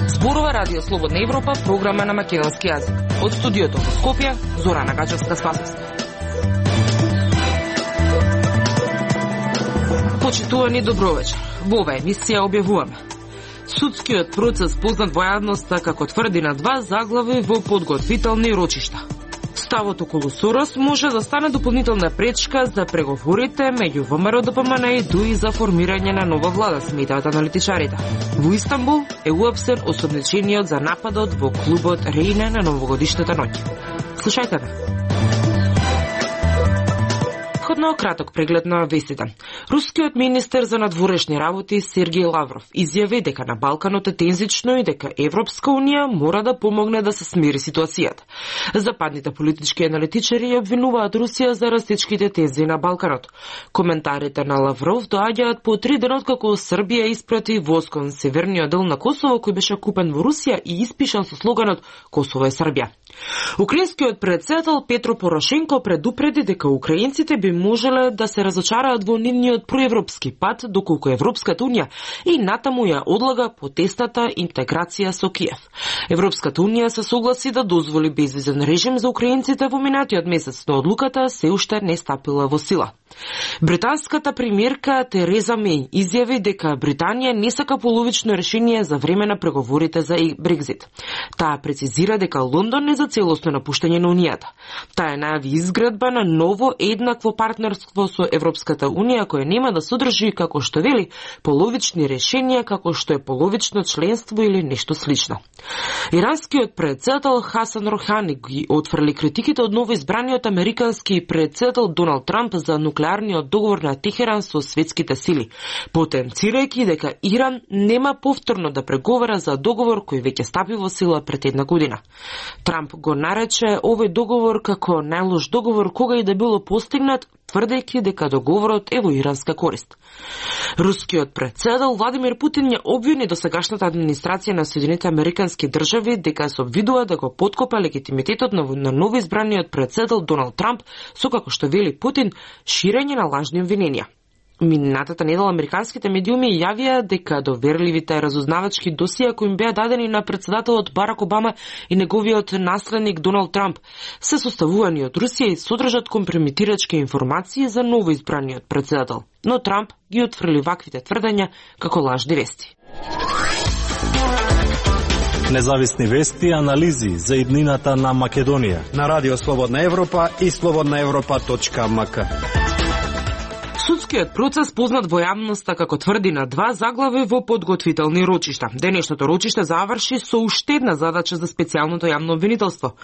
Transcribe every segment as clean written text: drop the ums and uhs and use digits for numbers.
Зборува Радио Слободна Европа, програма на македонски јазик. Од студиото во Скопје, Зорана Гачевска-Спасовска. Почитувани, добровечер. Во оваа емисија објавуваме: судскиот процес познат во јавноста како тврди на два заглави во подготвителни рочишта. Ставот околу Сорос може да стане дополнителна пречка за преговорите меѓу ВМРО ДПМН и ДУИ за формирање на нова влада, сметаат аналитичарите. Во Истанбул е уапсен осомничениот за нападот во клубот Рейна на новогодишната ноќ. Слушајте ме. Краток преглед на вестите. Рускиот министер за надворешни работи Сергеј Лавров изјави дека на Балканот е тензично и дека Европска унија мора да помогне да се смири ситуацијата. Западните политички аналитичари обвинуваат Русија за растечките тензии на Балканот. Коментарите на Лавров доаѓаат по 3 дена откако Србија испрати воз кон северниот дел на Косово, кој беше купен во Русија и испишан со слоганот Косово е Србија. Украинскиот председател Петро Порошенко предупреди дека украинците би можеле да се разочараат во нивниот проевропски пат, доколку Европската унија и натаму ја одлага потесната интеграција со Киев. Европската унија се согласи да дозволи безвизен режим за украинците во минатиот месец, но одлуката се уште не стапила во сила. Британската премиерка Тереза Меј изјави дека Британија не сака половично решение за време на преговорите за Брекзит. Таа прецизира дека Лондон не за целосно напуштање на Унијата. Таа најави изградба на ново еднакво партнерство со Европската Унија кој нема да содржи, како што вели, половични решенија како што е половично членство или нешто слично. Иранскиот председател Хасан Рохани ги отфрли критиките од новоизбраниот американски председател Доналд Трамп за нуклеарниот договор на Техеран со светските сили, потенцирајќи дека Иран нема повторно да преговара за договор кој веќе стапи во сила пред една година. Трамп го нарече овој договор како најлош договор кога и да било постигнат, тврдејќи дека договорот е во иранска корист. Рускиот председател Владимир Путин ја обвини досегашната администрација на Соединетите Американски држави дека се обвидува да го поткопа легитимитетот на новоизбраниот председател Доналд Трамп со, како што вели Путин, ширење на лажни обвиненија. Минатата недела американските медиуми јавија дека доверливите разузнавачки досија кои им беа дадени на председателот Барак Обама и неговиот наследник Доналд Трамп се составувани од Русија и содржат компрометирачки информации за новоизбраниот председател. Но Трамп ги отфрли ваквите тврдења како лажни вести. Независни вести и анализи за иднината на Македонија на Радио Слободна Европа и slobodnaevropa.mk. Судскиот процес познат во јавноста како тврди на два заглави во подготвителни рочишта. Денешното рочиште заврши со уште една задача за специјалното јавно обвинителство,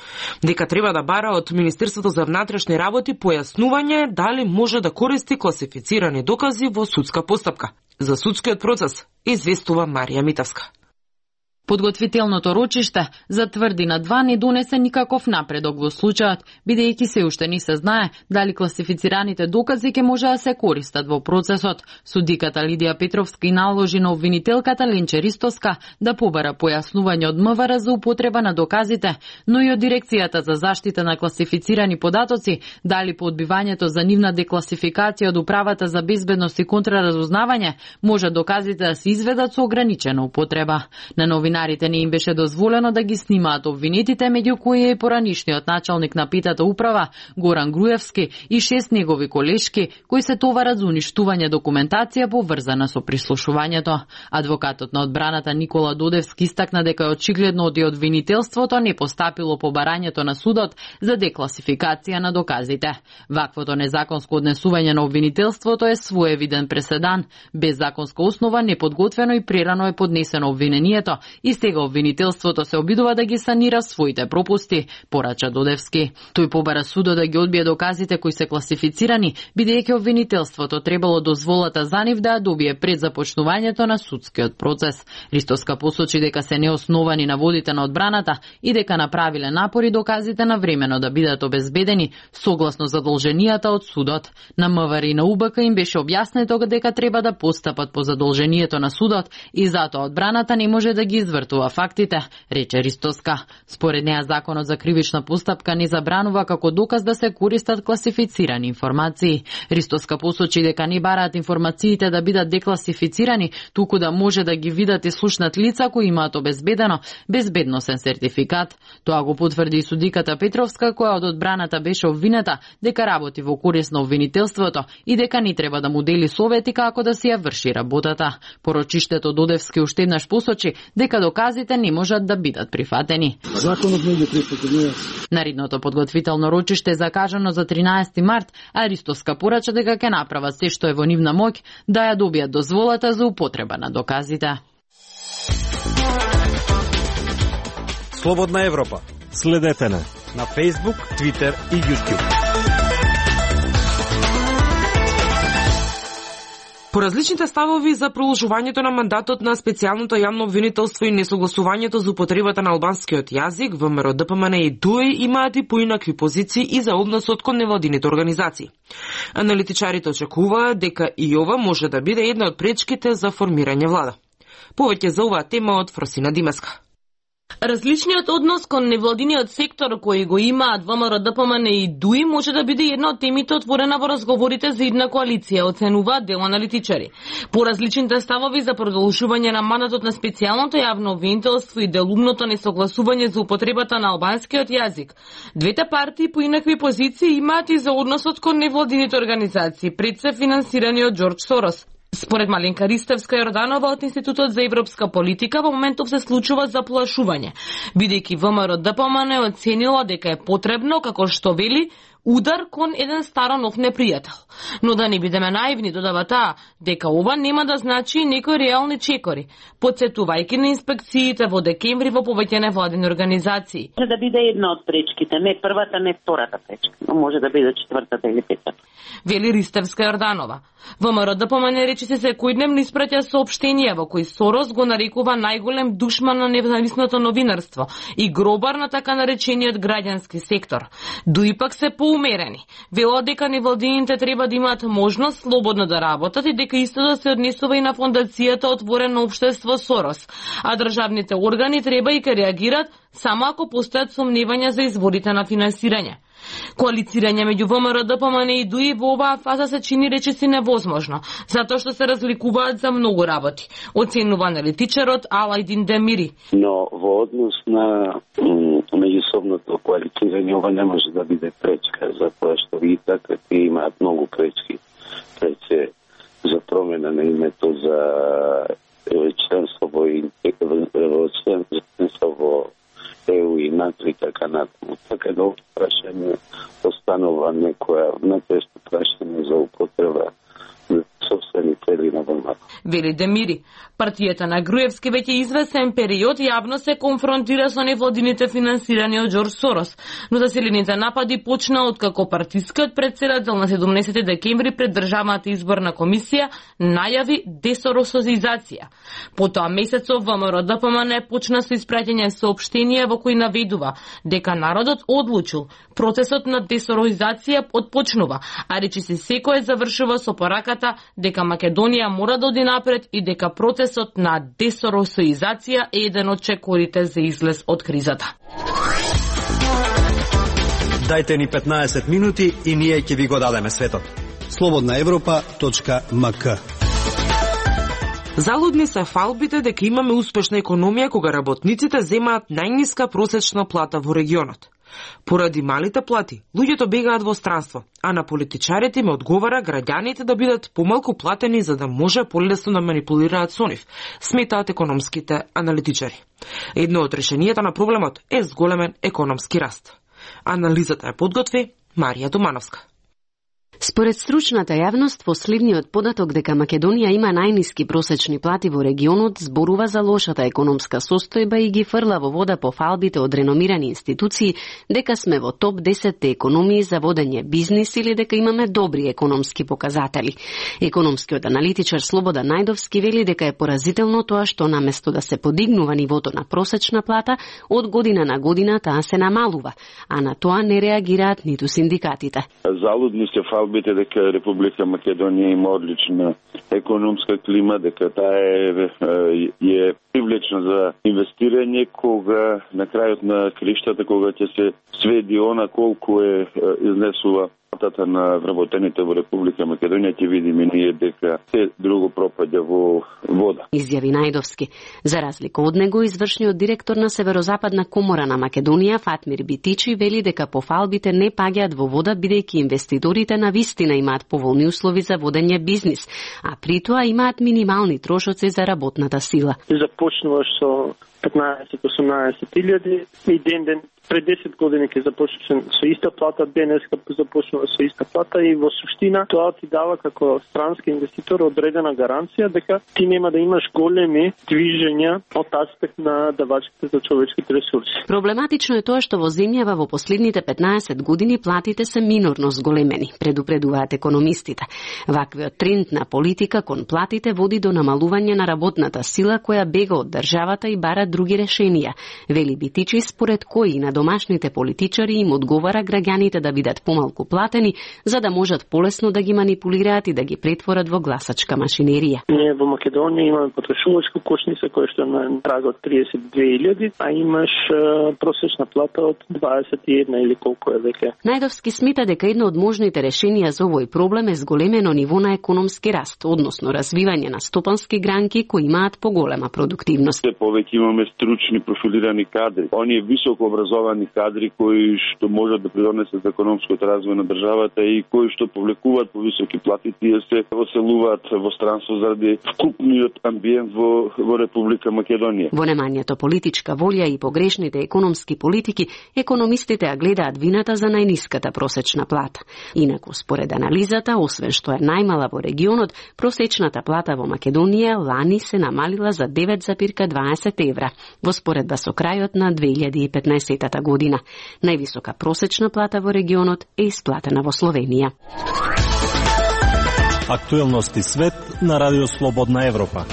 дека треба да бара од Министерството за внатрешни работи појаснување дали може да користи класифицирани докази во судска постапка. За судскиот процес известува Марија Митевска. Подготвителното рочиште затврди на два не донесе никаков напредок во случајот, бидејќи се уште не се знае дали класифицираните докази ќе може да се користат во процесот. Судиката Лидија Петровска и наложи на обвинителката Ленче Ристоска да побара појаснување од МВР за употреба на доказите, но и од Дирекцијата за заштита на класифицирани податоци дали по одбивањето за нивна декласификација од Управата за безбедност и контраразузнавање може доказите да се изведат со ограничена употреба. На новинарите не им беше дозволено да ги снимаат обвинетите, меѓу кои е поранишниот началник на Петата управа Горан Груевски и 6 негови колешки кои се товарат за уништување документација поврзана со прислушувањето. Адвокатот на одбраната Никола Додевски истакна дека очигледно од обвинителството не постапило побарањето на судот за декласификација на доказите. Ваквото незаконско однесување на обвинителството е своевиден преседан. Без законска основа, неподготвено и прерано е поднесено обвинението и стега обвинителството се обидува да ги санира своите пропусти, порача Додевски. Тој побара судот да ги одбие доказите кои се класифицирани, бидејќи обвинителството требало дозволата за нив да ја добие пред започнувањето на судскиот процес. Ристоска посочи дека се неосновани наводите на одбраната и дека направиле напори доказите навремено да бидат обезбедени согласно задолженијата од судот. На МВР и на УБК им беше објаснето дека треба да постапат по задолжението на судот и затоа одбраната не може да ги извртува фактите, рече Ристоска. Според неа законот за кривична постапка не забранува како доказ да се користат класифицирани информации. Ристоска посочи дека не бараат информациите да бидат декласифицирани, туку да може да ги видат и слушнат лица кои имаат обезбедено безбедносен сертификат. Тоа го потврди и судиката Петровска, која од одбраната беше обвинета дека работи во корист на обвинителството и дека не треба да му дели совети како да си ја врши работата. Порочиштето Додевски уште еднаш посочи дека доказите не можат да бидат прифатени. Законот не ги прифатени. Наредното подготвително рочиште е закажано за 13 март, а Ристоска порача дека ќе направат се што е во нивна моќ да ја добијат дозволата за употреба на доказите. Слободна Европа. Следете на Facebook, Twitter и YouTube. По различните ставови за продолжувањето на мандатот на специјалното јавно обвинителство и несогласувањето за употребата на албанскиот јазик, ВМРО, ДПМН и ДУИ имаат и поинакви позиции и за односот кон невладините организации. Аналитичарите очекуваат дека и ова може да биде една од пречките за формирање влада. Повеќе за оваа тема од Фросина Димеска. Различниот однос кон невладиниот сектор кој го имаат ВМРО, ДПМН и ДУИ може да биде една од темите отворена во разговорите за идна коалиција, оценуваат дел аналитичари. По различните ставови за продолжување на мандатот на специјалното јавно обвинителство и делумното несогласување за употребата на албанскиот јазик, двете партии по инакви позиции имаат и за односот кон невладините организации, пред се финансирани од Џорџ Сорос. Според Маленка Ристевска-Јорданова од Институтот за европска политика, во моментов се случува заплашување, бидејќи ВМРО ДПМН оценила дека е потребно, како што вели, удар кон еден старо нов непријател. Но да не бидеме наивни, додава таа, дека ова нема да значи некои реални чекори, подсетувајќи на инспекциите во декември во повеќе невладени организации. Може да биде една од пречките, не првата, не втората пречка, но може да биде четвртата или петата. Вели Ристевска-Јорданова. ВМРО ДПМН речиси секојдневно испраќа соопштенија во кои Сорос го нарекува најголем душман на независното новинарство и гробар на така наречениот граѓански сектор. ДУИ пак се поумерени. Велат дека невладините треба да имаат можност слободно да работат и дека истото се однесува и на фондацијата Отворено општество Сорос, а државните органи треба и ке реагират само ако постојат сомневања за изворите на финансирање. Коалицирање меѓу ВМРО, ДПМН и ДУИ во оваа фаза се чини речиси невозможно, затоа што се разликуваат за многу работи, оценува аналитичарот Алајдин Демири. Но во однос на меѓусобното коалицирање ова не може да биде пречка, затоа што и така имаат многу пречки пред се за промена на името за членство во ЕУ и НАТО и така натаму. Така да прашање останува некоја внатрешно прашање за употреба на собствени цели на ВМРО. Вели Демири, партијата на Груевски веќе известен период јавно се конфронтира со невладините финансирани од Џорџ Сорос, но заселените напади почна откако партискиот претседател на 17 декември пред Државната изборна комисија најави десоросизација. Потоа месецов ВМРО ДПМН почна со испраќање соопштенија во кои наведува дека народот одлучил, процесот на десоросизација отпочнува, а речиси секој завршува со пораката дека Македонија мора да оди напред и дека процесот на десоросизација е еден од чекорите за излез од кризата. Дајте ни 15 минути и ние ќе ви го дадеме светот. slobodnaevropa.mk. Залудни се фалбите дека имаме успешна економија кога работниците земаат најниска просечна плата во регионот. Поради малите плати, луѓето бегаат во странство, а на политичарите им одговара граѓаните да бидат помалку платени за да може полесно да манипулираат со нив, сметаат економските аналитичари. Едно од решенијата на проблемот е зголемен економски раст. Анализата ја подготви Марија Домановска. Според стручната јавност, последниот податок дека Македонија има најниски просечни плати во регионот зборува за лошата економска состојба и ги фрла во вода по фалбите од реномирани институции дека сме во топ 10 економии за водење бизнис или дека имаме добри економски показатели. Економскиот аналитичар Слободан Најдовски вели дека е поразително тоа што наместо да се подигнува нивото на просечна плата, од година на година таа се намалува, а на тоа не реагираат ниту синдикатите. Залудни се Фалбите дека Република Македонија има одлична економска клима, дека таа е привлечна за инвестирање, кога на крајот на криштата, кога ќе се сведи она колку изнесува платата на вработените во Република Македонија, ќе видиме ние дека се друго пропаѓа во вода. Изјави Најдовски. За разлика од него, извршниот директор на Северозападна комора на Македонија, Фатмир Битичи, вели дека по фалбите не паѓаат во вода, бидејќи инвеститорите на вистина имаат поволни услови за водење бизнис, а при тоа имаат минимални трошоци за работната сила. Започнуваш со 15-18 илјади и ден пред 10 години ќе започнеш со иста плата, денеска започнува со иста плата и во суштина тоа ти дава како странски инвеститор одредена гаранција дека ти нема да имаш големи движења од аспект на давачите за човечките ресурси. Проблематично е тоа што во земјава во последните 15 години платите се минорно зголемени, предупредуваат економистите. Ваквиот тренд на политика кон платите води до намалување на работната сила која бега од државата и бара други решенија, вели Битичи, според кои на домашните политичари им одговара граѓаните да бидат помалку платени, за да можат полесно да ги манипулираат и да ги претворат во гласачка машинерија. Ние во Македонија имаме потрошувачка кошница која што е на праг од 32.000, а имаш просечна плата од 21 или колку е веќе. Најдовски смета дека едно од можните решенија за овој проблем е зголемено ниво на економски раст, односно развивање на стопански гранки кои имаат поголема продуктивност. Повеќе имаме стручни профилирани кадри, оние високо образовани кадри кои што можат да придонесат економското развој на државата и кои што повлекуваат по високи плати, тие се оселуваат во странство заради вкупниот амбиент во Република Македонија. Во немањето политичка волја и погрешните економски политики, економистите ја гледаат вината за најниската просечна плата. Инаку, според анализата, освен што е најмала во регионот, просечната плата во Македонија лани се намалила за 9,20 евра, во споредба со крајот на 2015 година. Највисока просечна плата во регионот е исплатена во Словенија. Актуелности свет на Радио Слободна Европа.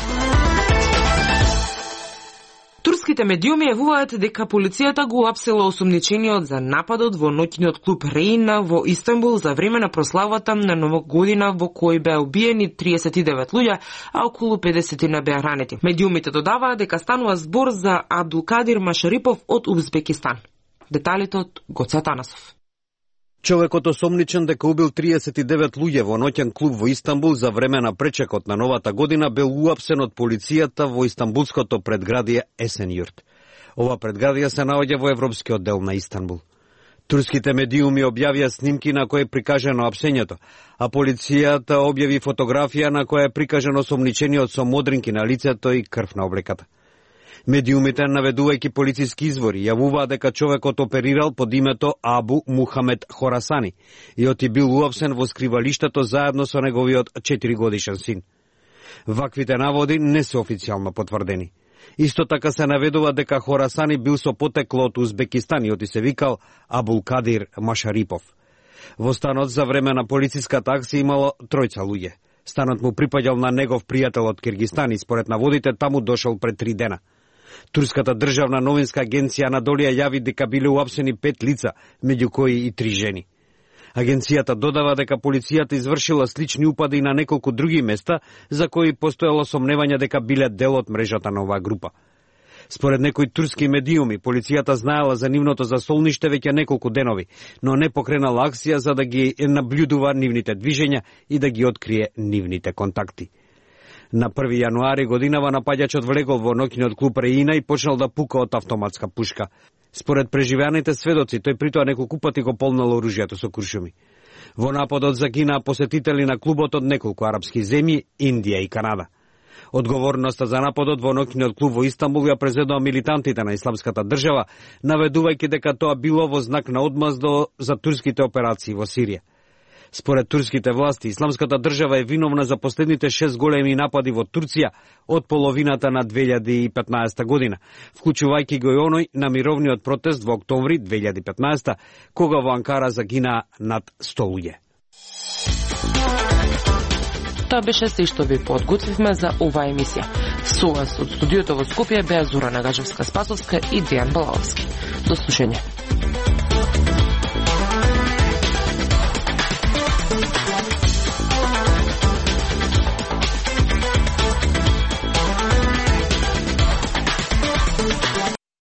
Турските медиуми јавуваат дека полицијата го апсила осумничениот за нападот во ноќниот клуб Реина во Истанбул за време на прославата на Нова година во кој беа убиени 39 луѓе, а околу 50 беа ранети. Медиумите додаваат дека станува збор за Абдулкадир Машарипов од Узбекистан. Деталите од Гоце Атанасов. Човекот осомничен дека убил 39 луѓе во ноќен клуб во Истанбул за време на пречекот на новата година бил уапсен од полицијата во истанбулското предградие Есенјурт. Ова предградие се наоѓа во европскиот дел на Истанбул. Турските медиуми објавија снимки на кои е прикажано апсењето, а полицијата објави фотографија на која е прикажано осомничениот со модринки на лицето и крв на облеката. Медиумите, наведувајќи полициски извори, јавуваат дека човекот оперирал под името Абу Мухамед Хорасани и оти бил уапсен во скривалиштето заедно со неговиот 4-годишен син. Ваквите наводи не се официјално потврдени. Исто така се наведува дека Хорасани бил со потекло од Узбекистан и оти се викал Абулкадир Машарипов. Во станот за време на полициската акција имало 3 луѓе. Станот му припаѓал на негов пријател од Киргистан и според наводите таму дошол пред 3 дена. Турската државна новинска агенција Анадолија јави дека биле уапсени 5 лица, меѓу кои и 3 жени. Агенцијата додава дека полицијата извршила слични упади на неколку други места за кои постоело сомневање дека биле дел од мрежата на оваа група. Според некои турски медиуми, полицијата знаела за нивното засолниште веќе неколку денови, но не покренала акција за да ги наблюдува нивните движења и да ги открие нивните контакти. На 1 јануари годинава напаѓачот влегол во ноќниот клуб Реина и почнал да пука од автоматска пушка. Според преживеаните сведоци, тој притоа неколку пати го полнал оружјето со куршуми. Во нападот загинаа посетители на клубот од неколку арапски земји, Индија и Канада. Одговорноста за нападот во ноќниот клуб во Истанбул ја презедоа милитантите на Исламската држава, наведувајќи дека тоа било во знак на одмаздо за турските операции во Сирија. Според турските власти, Исламската држава е виновна за последните 6 големи напади во Турција од половината на 2015 година, вклучувајќи го и оној на мировниот протест во октомври 2015, кога во Анкара загинаа над 100 луѓе. Тоа беше се што ви подготвивме за оваа емисија. Со вас од студиото во Скопје беа Зора Нагачевска-Спасовска и Дејан Балаловски. До слушање.